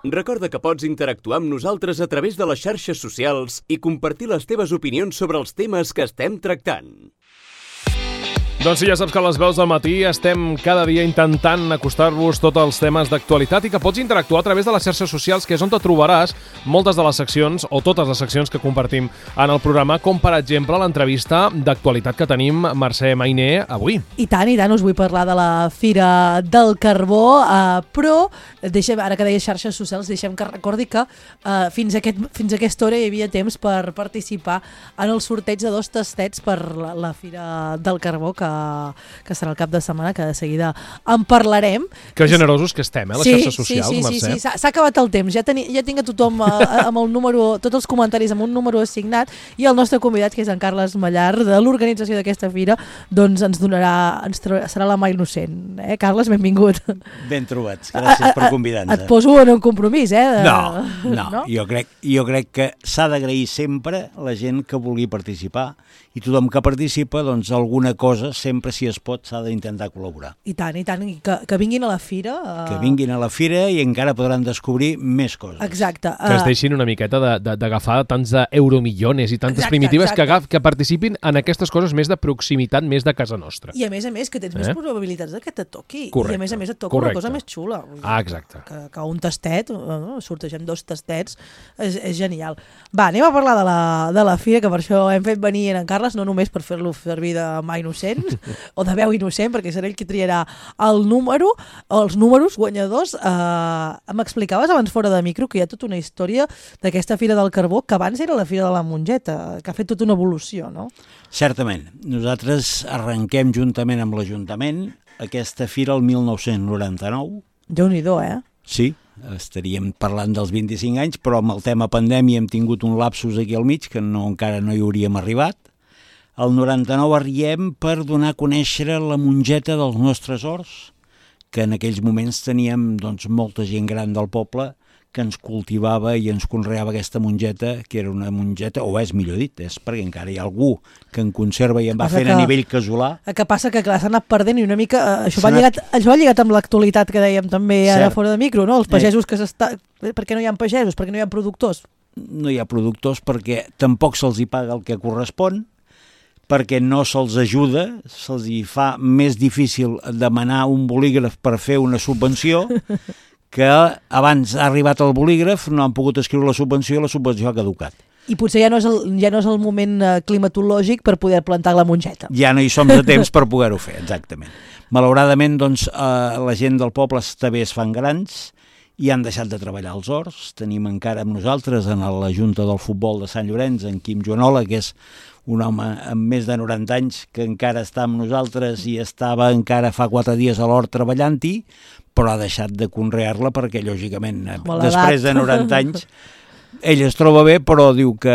Recorda que pots interactuar amb nosaltres a través de les xarxes socials i compartir les teves opinions sobre els temes que estem tractant. Doncs sí, ja saps que a les veus del matí estem cada dia intentant acostar-vos tots els temes d'actualitat i que pots interactuar a través de les xarxes socials, que és on te trobaràs moltes de les seccions o totes les seccions que compartim en el programa, com per exemple l'entrevista d'actualitat que tenim Mercè Mayné avui. I tant, us vull parlar de la Fira del Carbó, però deixem, ara que deies xarxes socials, deixem que recordi que fins a aquesta hora hi havia temps per participar en el sorteig de 2 tastets per la Fira del Carbó, que serà el cap de setmana, que de seguida en parlarem. Que generosos que estem, les xarxes socials, Mercè. Sí, s'ha acabat el temps. Ja tinc a tothom amb el número, tots els comentaris amb un número assignat, i el nostre convidat, que és en Carles Mallar, de l'organització d'aquesta fira, doncs serà la mà innocent. Carles, benvingut. Ben trobats, gràcies per convidar-nos. Et poso en un compromís, No? Jo crec que s'ha d'agrair sempre la gent que vulgui participar, i tothom que participa, doncs alguna cosa, sempre si es pot, s'ha d'intentar col·laborar. I tant, que vinguin a la fira. Que vinguin a la fira i encara podran descobrir més coses. Exacte. Que es deixin una miqueta d'agafar tants euromillones i tantes primitives que participin en aquestes coses més de proximitat, més de casa nostra. I a més, que tens més probabilitats que te toqui. Correcte. I a més et toca una cosa més xula. Exacte. Que un tastet, sortegem 2 tastets, és genial. Va, anem a parlar de la fira, que per això hem fet venir en Carles, no només per fer-lo servir de mà innocent o de veu innocent, perquè serà ell qui triarà el número, els números guanyadors. M'explicaves abans fora de micro que hi ha tota una història d'aquesta Fira del Carbó, que abans era la Fira de la Mongeta, que ha fet tota una evolució, no? Certament. Nosaltres arrenquem juntament amb l'Ajuntament aquesta fira el 1999. Déu-n'hi-do, Sí, estaríem parlant dels 25 anys, però amb el tema pandèmia hem tingut un lapsus aquí al mig, que encara no hi hauríem arribat. El 99 arribem per donar a conèixer la mongeta dels nostres horts, que en aquells moments teníem molta gent gran del poble que ens cultivava i ens conreava aquesta mongeta, que era una mongeta, o és millor dit, és perquè encara hi ha algú que en conserva i en va fent a nivell casolà. Que passa que s'ha anat perdent i una mica... Això va lligat amb l'actualitat que dèiem també ara fora de micro, no? Els pagesos que Per què no hi ha pagesos? Per què no hi ha productors? No hi ha productors perquè tampoc se'ls hi paga el que correspon, perquè no se'ls ajuda, se'ls hi fa més difícil demanar un bolígraf per fer una subvenció, que abans ha arribat el bolígraf, no han pogut escriure la subvenció i la subvenció ha caducat. I potser ja no és el moment climatològic per poder plantar la mongeta. Ja no hi som de temps per poder-ho fer, exactament. Malauradament, la gent del poble també es fan grans i han deixat de treballar als horts. Tenim encara amb nosaltres en la Junta del Futbol de Sant Llorenç, en Quim Joanola, que és un home amb més de 90 anys que encara està amb nosaltres i estava encara fa 4 dies a l'hort treballant-hi, però ha deixat de conrear-la perquè, lògicament, després de 90 anys, ell es troba bé, però diu que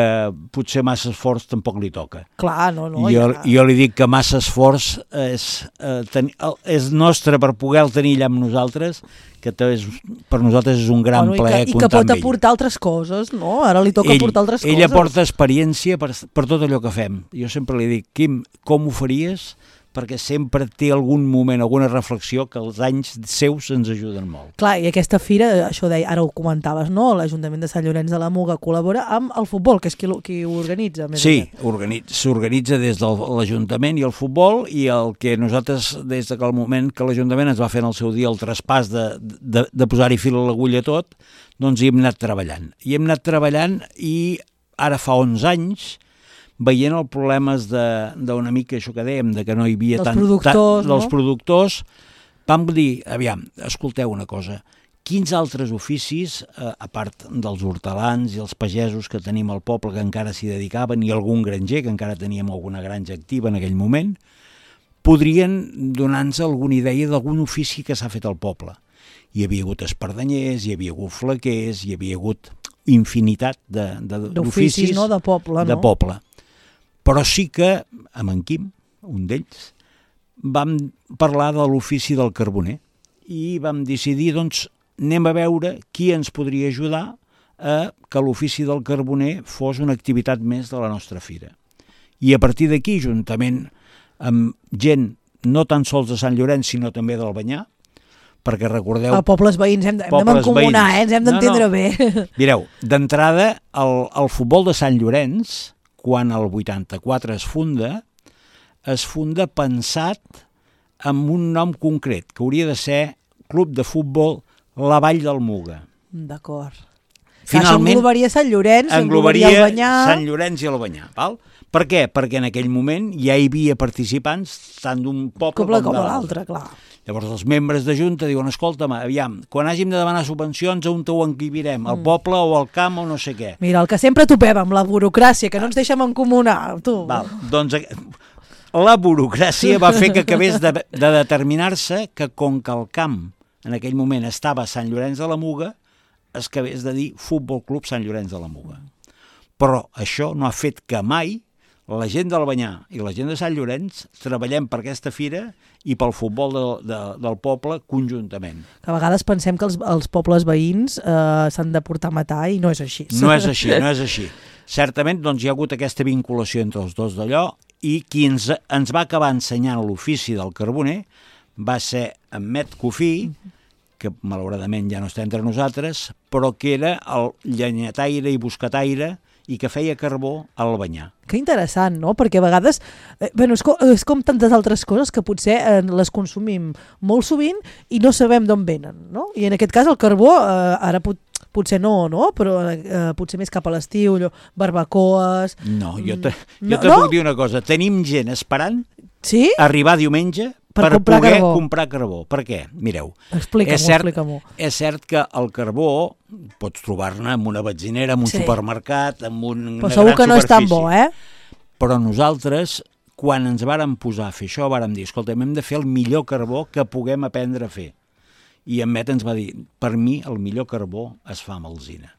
potser massa esforç tampoc li toca. Clar, no. Jo li dic que massa esforç és nostre per poder-lo tenir allà amb nosaltres, que per nosaltres és un gran plaer comptar amb ell. I que pot aportar altres coses, no? Ara li toca aportar altres coses. Ell aporta experiència per tot allò que fem. Jo sempre li dic, Quim, com ho faries? Perquè sempre té algun moment, alguna reflexió que els anys seus ens ajuden molt. Clar, i aquesta fira, això deia, ara ho comentaves, no? L'Ajuntament de Sant Llorenç de la Muga col·labora amb el futbol, que és qui ho organitza. Sí, s'organitza des de l'Ajuntament i el futbol, i el que nosaltres, des del moment que l'Ajuntament ens va fer en el seu dia el traspàs de posar-hi fil a l'agulla tot, doncs hi hem anat treballant. I ara fa 11 anys, veient els problemes d'una mica això que dèiem, de que no hi havia dels productors, vam dir, aviam, escolteu una cosa, quins altres oficis, a part dels hortelans i els pagesos que tenim al poble que encara s'hi dedicaven, i algun granger, que encara teníem alguna granja activa en aquell moment, podrien donar-nos alguna idea d'algun ofici que s'ha fet al poble. Hi havia hagut espardenyers, hi havia hagut flequers, hi havia hagut infinitat d'oficis, no? De poble. Però sí que, amb en Quim, un d'ells, vam parlar de l'ofici del carboner i vam decidir, doncs, anem a veure qui ens podria ajudar a que l'ofici del carboner fos una activitat més de la nostra fira. I a partir d'aquí, juntament amb gent no tan sols de Sant Llorenç, sinó també d'Albanyà, perquè recordeu... Pobles veïns, hem de mancomunar, ens hem d'entendre bé. Mireu, d'entrada, el futbol de Sant Llorenç, quan el 84 es funda pensat amb un nom concret, que hauria de ser Club de Futbol La Vall del Muga. D'acord. Finalment, englobaria Sant Llorenç, englobaria Albanyà... Sant Llorenç i Albanyà, val? Per què? Perquè en aquell moment ja hi havia participants tant d'un poble com de l'altre. Clar. Llavors els membres de Junta diuen, escolta'm, aviam, quan hàgim de demanar subvencions, on ho enquibirem? Al poble o al camp o no sé què? Mira, el que sempre topem amb la burocràcia, que no ens deixem encomunar, tu. Val, doncs la burocràcia va fer que acabés de determinar-se que com que el camp en aquell moment estava a Sant Llorenç de la Muga, es acabés de dir Futbol Club Sant Llorenç de la Muga. Però això no ha fet que mai la gent d'Albanyà i la gent de Sant Llorenç treballem per aquesta fira i pel futbol del poble conjuntament. Que a vegades pensem que els pobles veïns s'han de portar a matar i no és així. No és així. Certament doncs, hi ha hagut aquesta vinculació entre els dos d'allò i qui ens va acabar ensenyant l'ofici del carboner va ser en Met Cofí, que malauradament ja no està entre nosaltres, però que era el llenyataire i buscataire i que feia carbó a l'Albanyà. Que interessant, no? Perquè a vegades és com tantes altres coses que potser les consumim molt sovint i no sabem d'on venen, no? I en aquest cas el carbó, ara potser no, però potser més cap a l'estiu, barbacoes... No, jo te puc dir una cosa. Tenim gent esperant arribar diumenge per poder comprar carbó. Per què? Mireu, Explica-m'ho. És cert que el carbó pots trobar-ne en una benzinera, en un supermercat, en una gran superfície. Però segur que no és tan bo, Però nosaltres, quan ens vàrem posar a fer això, vàrem dir, escolta, hem de fer el millor carbó que puguem aprendre a fer. I en Met ens va dir, per mi el millor carbó es fa amb alzina.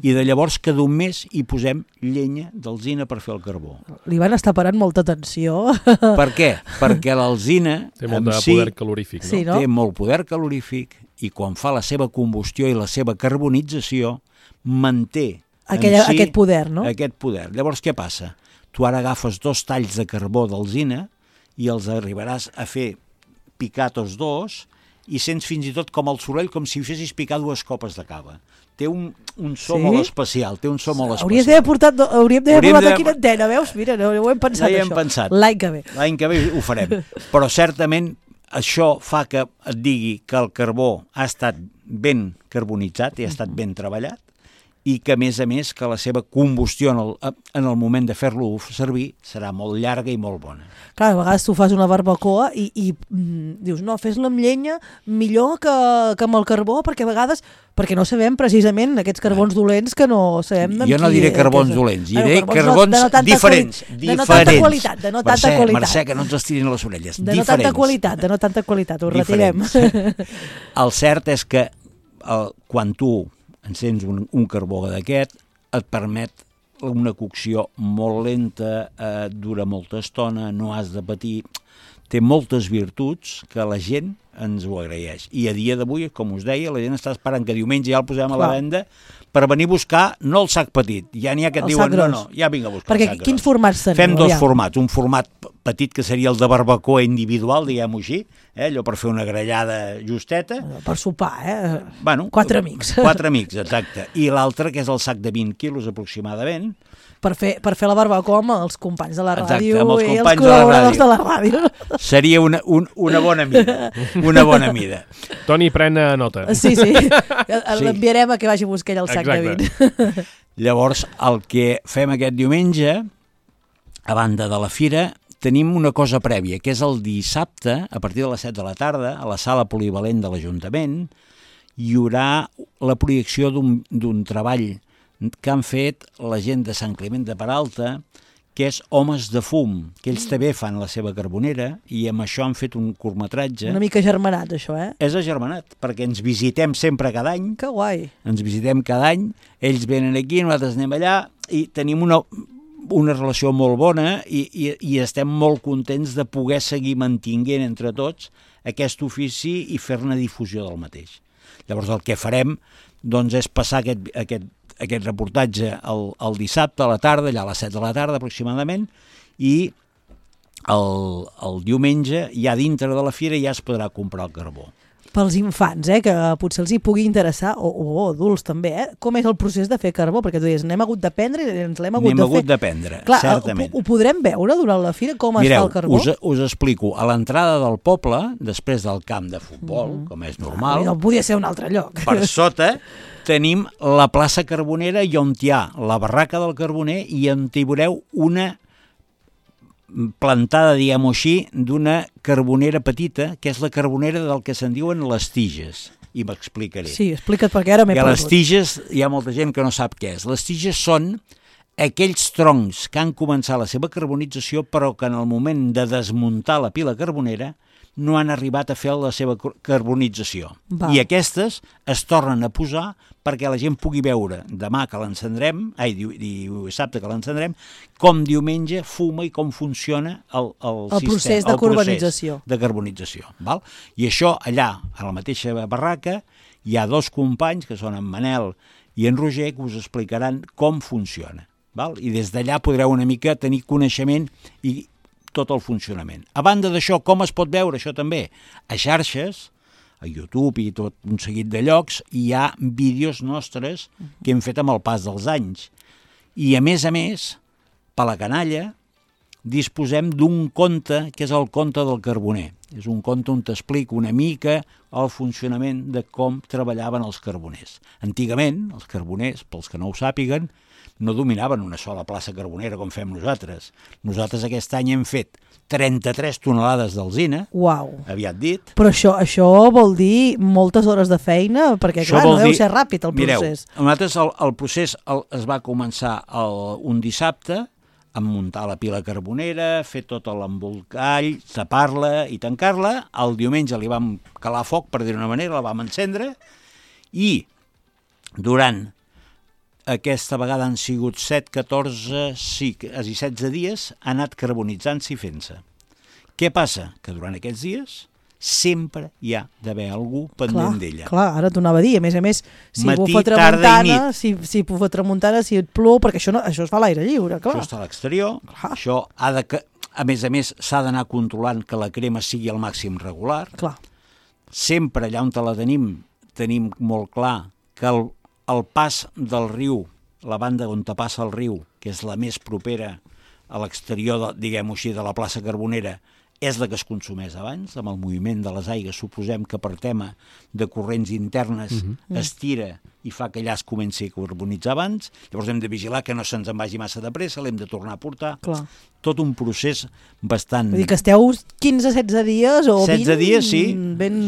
I de llavors cada un mes hi posem llenya d'alzina per fer el carbó. Li van estar parant molta atenció. Per què? Perquè l'alzina té molt de poder calorífic, no? Sí, no? Té molt poder calorífic i quan fa la seva combustió i la seva carbonització manté aquest poder, no? Aquest poder. Llavors què passa? Tu ara agafes 2 talls de carbó d'alzina i els arribaràs a fer picar tots dos i sents fins i tot com el soroll com si fessis picar 2 copes de cava. Té un so molt especial, Hauríem d'haver portat aquí una antena, veus? Mira, no ho hem pensat, això. L'any que ve. L'any que ve ho farem. Però certament això fa que et digui que el carbó ha estat ben carbonitzat i ha estat ben treballat i que, a més, que la seva combustió en el moment de fer-lo servir serà molt llarga i molt bona. Clar, a vegades tu fas una barbacoa i dius, no, fes-la amb llenya millor que amb el carbó, perquè a vegades, perquè no sabem precisament aquests carbons dolents que no sabem... Jo no diré carbons dolents, diré carbons diferents. De no tanta qualitat, de no tanta qualitat. Mercè, que no ens estirin les orelles. De no tanta qualitat, ho retirem. El cert és que quan tu encens un carbó d'aquest, et permet una cocció molt lenta, dura molta estona, no has de patir, té moltes virtuts que la gent ens ho agraeix. I a dia d'avui, com us deia, la gent està esperant que diumenge ja el posem a la venda per venir a buscar, no el sac petit, ja n'hi ha que et diuen, no, ja vinc a buscar el sac gros. Perquè quins formats teniu? Fem 2 formats, un format petit que seria el de barbacoa individual, diguem-ho així, allò per fer una grellada justeta. Per sopar, Bueno, 4 amics. 4 amics, exacte. I l'altre, que és el sac de 20 quilos aproximadament. Per fer la barbacoa amb els companys de la ràdio i els col·laboradors de la ràdio. Seria una bona mida. Una bona mida. Toni, pren nota. Sí. L'enviarem a que vagi a buscar ell el sac de 20. Llavors, el que fem aquest diumenge, a banda de la fira, tenim una cosa prèvia, que és el dissabte, a partir de les 7 de la tarda, a la sala polivalent de l'Ajuntament, hi haurà la projecció d'un treball que han fet la gent de Sant Climent de Peralta, que és Homes de fum, que ells també fan la seva carbonera i amb això han fet un curtmetratge. Una mica agermanat, això, És agermanat, perquè ens visitem sempre cada any. Que guai. Ens visitem cada any, ells venen aquí, nosaltres anem allà i tenim una relació molt bona i estem molt contents de poder seguir mantinguent entre tots aquest ofici i fer-ne difusió del mateix. Llavors el que farem doncs, és passar aquest reportatge el dissabte a la tarda, allà a les 7 de la tarda aproximadament, i el diumenge ja dintre de la fira ja es podrà comprar el carbó. pels infants, que potser els hi pugui interessar, o adults també, com és el procés de fer carbó? Perquè tu dius, n'hem hagut d'aprendre i ens l'hem hagut de fer. N'hem hagut d'aprendre, certament. Ho podrem veure durant la fira, com es fa el carbó? Mireu, us explico. A l'entrada del poble, després del camp de futbol, com és normal... No podia ser un altre lloc. Per sota tenim la plaça Carbonera i on hi ha la barraca del carboner i on hi veureu una plantada, diguem-ho així, d'una carbonera petita, que és la carbonera del que se'n diuen les tiges. I m'explicaré. Sí, explica't, perquè ara m'he perdut. Les tiges, hi ha molta gent que no sap què és. Les tiges són aquells troncs que han començat la seva carbonització, però que en el moment de desmuntar la pila carbonera no han arribat a fer la seva carbonització. Va. I aquestes es tornen a posar perquè la gent pugui veure demà que l'encendrem, dissabte que l'encendrem, com diumenge fuma i com funciona el procés de carbonització. Val? I això allà, a la mateixa barraca, hi ha dos companys, que són en Manel i en Roger, que us explicaran com funciona. Val? I des d'allà podreu una mica tenir coneixement i tot el funcionament. A banda d'això, com es pot veure això també? A xarxes, a YouTube i tot un seguit de llocs, hi ha vídeos nostres que hem fet amb el pas dels anys. I a més, per la canalla, disposem d'un conte, que és el conte del carboner. És un conte on t'explico una mica el funcionament de com treballaven els carboners. Antigament, els carboners, pels que no ho sàpiguen, no dominaven una sola plaça carbonera com fem nosaltres. Nosaltres aquest any hem fet 33 tonelades d'alzina, aviat dit. Però això vol dir moltes hores de feina, perquè clar, no deu ser ràpid el procés. Mireu, nosaltres el procés es va començar un dissabte, amb muntar la pila carbonera, fer tot l'embolcall, tapar-la i tancar-la. El diumenge li vam calar foc, per dir-ho d'una manera, la vam encendre, i durant aquesta vegada han sigut 7, 14, sí, quasi 16 dies, ha anat carbonitzant-se i fent-se. Què passa? Que durant aquests dies sempre hi ha d'haver algú pendent d'ella. Clar, ara t'ho anava a dir. A més, si matí, bufa tramuntana, si bufa tramuntana, si et plou, perquè això es fa a l'aire lliure, clar. Això està a l'exterior, això ha de... A més, s'ha d'anar controlant que la crema sigui al màxim regular. Clar. Sempre allà on la tenim molt clar que el pas del riu, la banda on passa el riu, que és la més propera a l'exterior, diguem-ho així, de la plaça Carbonera, és la que es consumeix abans, amb el moviment de les aigues. Suposem que per tema de corrents internes es tira i fa que allà es comenci a carbonitzar abans. Llavors hem de vigilar que no se'ns en vagi massa de pressa, l'hem de tornar a portar. Clar. Tot un procés bastant... Vull dir que esteu 15-16 dies o 20 dies, sí. Ben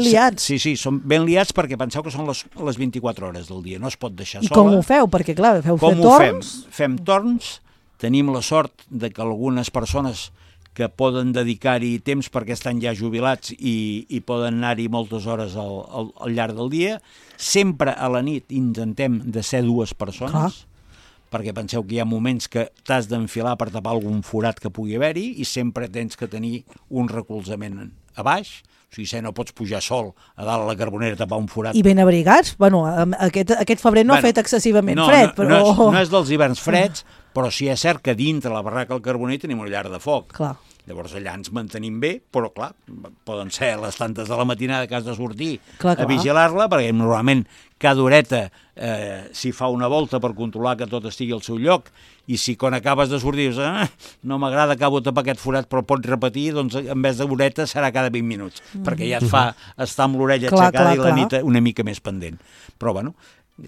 liats. Sí, són ben liats perquè penseu que són les 24 hores del dia, no es pot deixar sola. I com ho feu? Perquè clar, feu fer torns? Fem torns, tenim la sort de que algunes persones que poden dedicar-hi temps perquè estan ja jubilats i poden anar-hi moltes hores al llarg del dia. Sempre a la nit intentem de ser 2 persones, perquè penseu que hi ha moments que t'has d'enfilar per tapar algun forat que pugui haver-hi i sempre tens que tenir un recolzament a baix. O sigui, no pots pujar sol a dalt a la carbonera a tapar un forat. I ben abrigats? Bueno, aquest febrer no ha fet excessivament fred, però... No és dels hiverns freds, però sí és cert que dintre la barraca del carboner tenim una llar de foc. Clar. Llavors allà ens mantenim bé, però clar, poden ser les tantes de la matinada que has de sortir clar. A vigilar-la, perquè normalment cada horeta s'hi fa una volta per controlar que tot estigui al seu lloc, i si quan acabes de sortir dius, no m'agrada, acabo de tapar aquest forat, però pots repetir, doncs en vez d'horeta serà cada 20 minuts, perquè ja et fa estar amb l'orella aixecada i la nit una mica més pendent. Però bueno,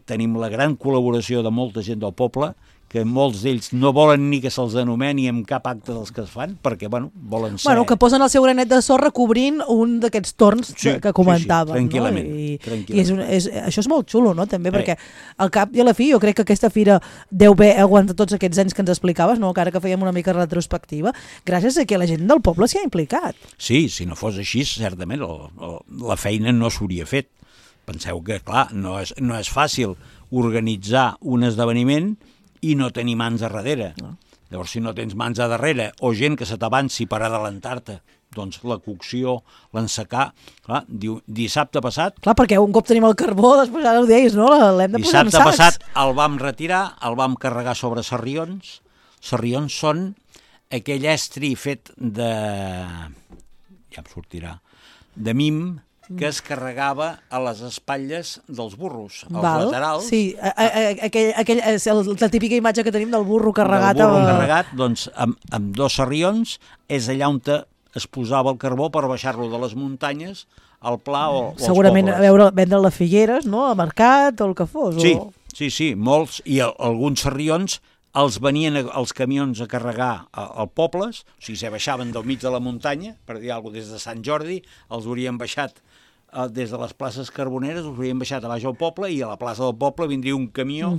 tenim la gran col·laboració de molta gent del poble, que molts d'ells no volen ni que se'ls anomeni en cap acte dels que es fan, perquè, volen ser... Que posen el seu granet de sorra cobrint un d'aquests torns que comentàvem. Sí, tranquil·lament. No? I això és molt xulo, no?, també, perquè al cap i a la fi jo crec que aquesta fira deu haver aguantat tots aquests anys que ens explicaves, no?, que ara que fèiem una mica retrospectiva, gràcies a que la gent del poble s'hi ha implicat. Sí, si no fos així, certament, la feina no s'hauria fet. Penseu que, clar, no és fàcil organitzar un esdeveniment i no tenir mans a darrere. Llavors, si no tens mans a darrere o gent que se t'avanci per adelantar-te, doncs la cocció, l'ensecar... Clar, dissabte passat... Clar, perquè un cop tenim el carbó, després ara ho deies, no? L'hem de posar en sacs. Dissabte passat el vam retirar, el vam carregar sobre sarrions. Sarrions són aquell estri fet de... ja em sortirà... de mim, que es carregava a les espatlles dels burros, als Val. laterals. Sí, aquell és la típica imatge que tenim del burro carregat. Del burro carregat, doncs, amb 2 sarrions, és allà on es posava el carbó per baixar-lo de les muntanyes al pla o als segurament pobles. vendre les Figueres, no?, al mercat o el que fos. Sí, molts, i alguns sarrions els venien els camions a carregar als pobles, o sigui, se baixaven del mig de la muntanya, per dir alguna cosa, des de Sant Jordi, els haurien baixat des de les places carboneres, els haurien baixat a baix al poble, i a la plaça del poble vindria un camió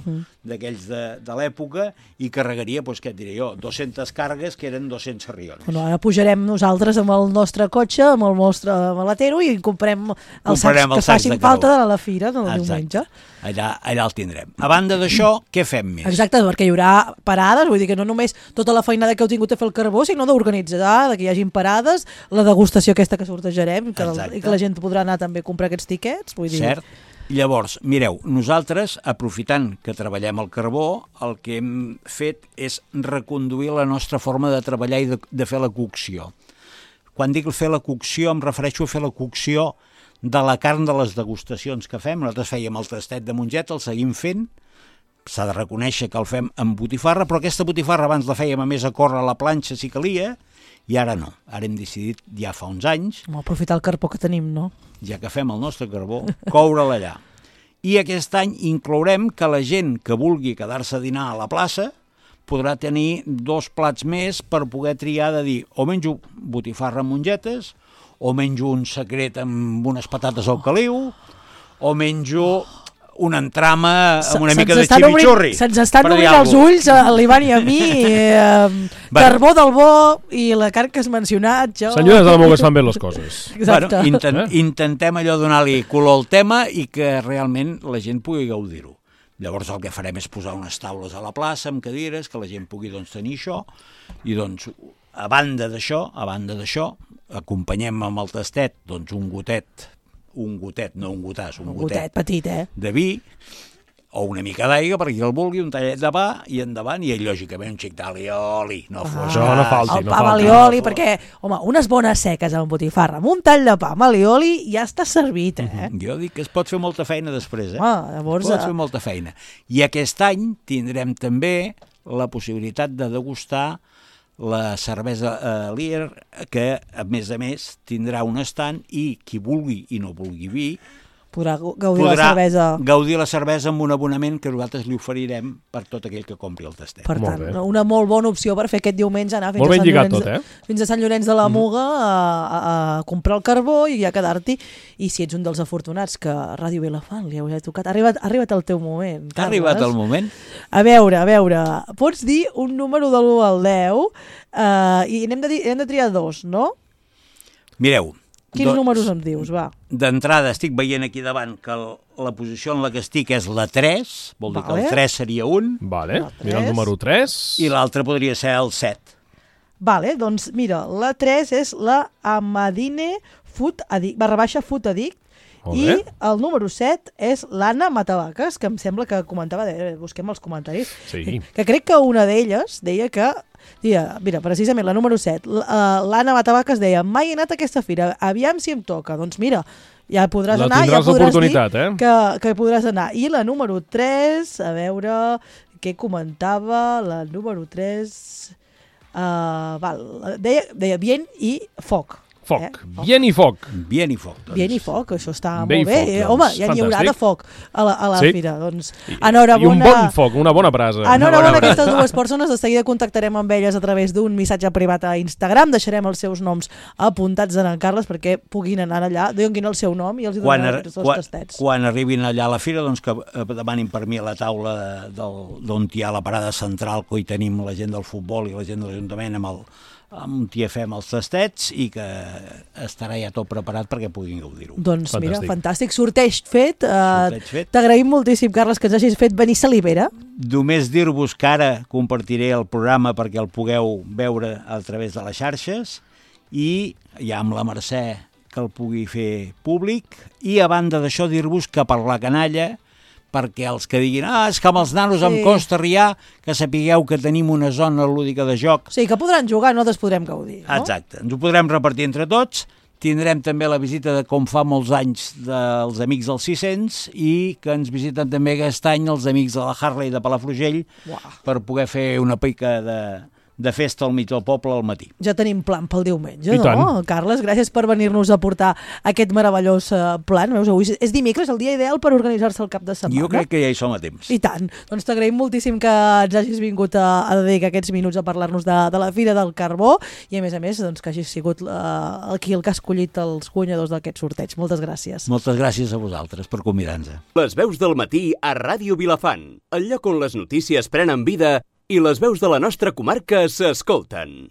d'aquells de l'època i carregaria, doncs què et diré jo, 200 càrregues, que eren 200 sarrions. Bueno, ara pujarem nosaltres amb el nostre cotxe, amb el nostre maletero, i comprem els sacs que facin falta de la fira del diumenge. Allà el tindrem. A banda d'això, què fem més? Exacte, perquè hi haurà parades, vull dir que no només tota la feinada que heu tingut a fer el carbó, sinó d'organitzar, que hi hagin parades, la degustació aquesta que sortejarem, i que la gent podrà anar també a comprar aquests tiquets. Vull dir... Cert. Llavors, mireu, nosaltres, aprofitant que treballem el carbó, el que hem fet és reconduir la nostra forma de treballar i de fer la cocció. Quan dic fer la cocció, em refereixo a fer la cocció de la carn de les degustacions que fem. Nosaltres fèiem el tastet de mongeta, el seguim fent, s'ha de reconèixer que el fem amb botifarra, però aquesta botifarra abans la fèiem a més a córrer a la planxa si calia, i ara no. Ara hem decidit, ja fa uns anys, aprofitar el carbó que tenim, no? Ja que fem el nostre carbó, coure'l allà. I aquest any inclourem que la gent que vulgui quedar-se a dinar a la plaça podrà tenir 2 plats més per poder triar de dir o menjo botifarra amb mongetes, o menjo un secret amb unes patates al caliu, o menjo una entrama amb una mica de ximichurri. Se'ns estan obrint els ulls, a l'Ivan i a mi, carbó del bo i la carn que has mencionat. Senyores de la Moga es fan bé les coses. Exacte. Bueno, intentem allò donar-li color al tema i que realment la gent pugui gaudir-ho. Llavors el que farem és posar unes taules a la plaça amb cadires, que la gent pugui tenir això, i doncs a banda d'això, acompanyem amb el tastet un gotet, no un gotàs, un gotet petit, de vi, o una mica d'aigua per qui el vulgui, un tallet de pa i endavant, i lògicament un xic d'alioli. No falti. El pa amb alioli, perquè, home, unes bones seques amb botifarra, amb un tall de pa amb alioli ja està servit, Jo dic que es pot fer molta feina després, llavors... Es pot fer molta feina. I aquest any tindrem també la possibilitat de degustar la cervesa Leer, que a més tindrà un estand, i qui vulgui i no vulgui vi podrà gaudir la cervesa amb un abonament que nosaltres li oferirem per tot aquell que compri el tastet. Per tant, una molt bona opció per fer aquest diumenge, anar fins a Sant Llorenç de la Muga a comprar el carbó i a quedar-t'hi. I si ets un dels afortunats que a Ràdio Vilafant li heu tocat, ha arribat el teu moment, Carles. Ha arribat el moment. A veure, pots dir un número de l'1 al 10 i hem de triar 2, no? Mireu. Quins números em dius, va? D'entrada estic veient aquí davant que la posició en la que estic és la 3, vol dir que el 3 seria un. Vale, mira el número 3. I l'altre podria ser el 7. Vale, doncs mira, la 3 és la Amadine Food Addict, i el número 7 és l'Anna Matavaques, que em sembla que comentava, busquem els comentaris, que crec que una d'elles deia que mira, precisament la número 7, l'Anna Matavaques deia: mai he anat a aquesta fira, aviam si em toca. Doncs mira, ja podràs anar, ja podràs dir que podràs anar. I la número 3, a veure què comentava, la número 3, deia Bien i Foc. Bien i foc. Bien i foc. Bien i foc, això està molt bé. Home, ja n'hi haurà de foc a la fira. Doncs, enhorabona. I un bon foc, una bona brasa. Enhorabona a aquestes dues persones. De seguida contactarem amb elles a través d'un missatge privat a Instagram. Deixarem els seus noms apuntats en Carles perquè puguin anar allà, donin el seu nom i els donarem els tastets. Quan arribin allà a la fira, doncs que demanin per mi a la taula d'on hi ha la parada central, que hi tenim la gent del futbol i la gent de l'Ajuntament amb hi fem els tastets i que estarà ja tot preparat perquè puguin gaudir-ho. Doncs mira, fantàstic. Sorteig fet. T'agraïm moltíssim, Carles, que ens hagis fet venir salivera. Només dir-vos que ara compartiré el programa perquè el pugueu veure a través de les xarxes i ja amb la Mercè que el pugui fer públic, i a banda d'això dir-vos que per la canalla, perquè els que diguin és que amb els nanos em costa riar, que sapigueu que tenim una zona lúdica de joc. Sí, que podran jugar, nosaltres podrem gaudir, no? Exacte, ens ho podrem repartir entre tots, Tindrem també la visita de, com fa molts anys, dels Amics del 600 i que ens visiten també aquest any els Amics de la Harley de Palafrugell per poder fer una pica de festa al mig del poble al matí. Ja tenim plan pel diumenge, I no? tant. Carles, gràcies per venir-nos a portar aquest meravellós plan. Veus, avui és dimecres, el dia ideal per organitzar-se el cap de setmana. Jo crec que ja hi som a temps. I tant. Doncs t'agraïm moltíssim que ens hagis vingut a dedicar aquests minuts a parlar-nos de la Fira del Carbó i, a més, doncs, que hagis sigut aquí el que ha escollit els guanyadors d'aquest sorteig. Moltes gràcies. Moltes gràcies a vosaltres per convidar-nos. Les veus del matí a Ràdio Vilafant, el lloc on les notícies prenen vida i les veus de la nostra comarca s'escolten.